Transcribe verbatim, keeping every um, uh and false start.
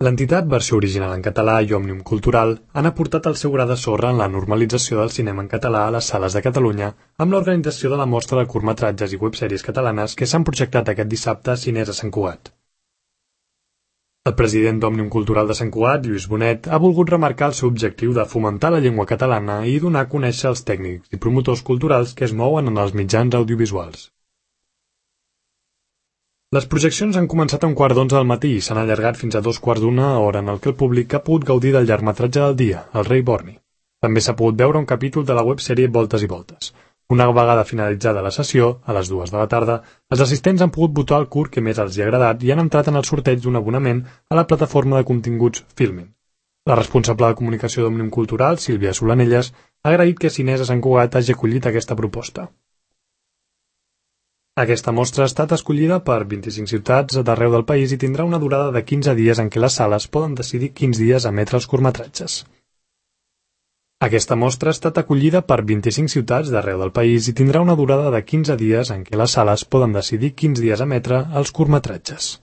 L'entitat Versió Original en Català i Òmnium Cultural han aportat el seu gra de sorra en la normalització del cinema en català a les sales de Catalunya amb l'organització de la mostra de curtmetratges i websèries catalanes que s'han projectat aquest dissabte a Cines a Sant Cugat. El president d'Òmnium Cultural de Sant Cugat, Lluís Bonet, ha volgut remarcar el seu objectiu de fomentar la llengua catalana i donar a conèixer els tècnics i promotors culturals que es mouen en els mitjans audiovisuals. Les projeccions han començat a un quart d'onze del matí i s'han allargat fins a dos quarts d'una, hora en el que el públic ha pogut gaudir del llargmetratge del dia, El rei Borni. També s'ha pogut veure un capítol de la websèrie Voltes i Voltes. Una vegada finalitzada la sessió, a les dues de la tarda, els assistents han pogut votar el curt que més els hi ha agradat i han entrat en el sorteig d'un abonament a la plataforma de continguts Filmin. La responsable de comunicació d'Òmnium Cultural, Sílvia Solanelles, ha agraït que Cines a Sant Cugat hagi acollit aquesta proposta. Aquesta mostra ha estat escollida per vint-i-cinc ciutats d'arreu del país i tindrà una durada de quinze dies en què les sales poden decidir quins dies emetre els curtmetratges. Aquesta mostra ha estat acollida per vint-i-cinc ciutats d'arreu del país i tindrà una durada de quinze dies en què les sales poden decidir quins dies emetre els curtmetratges.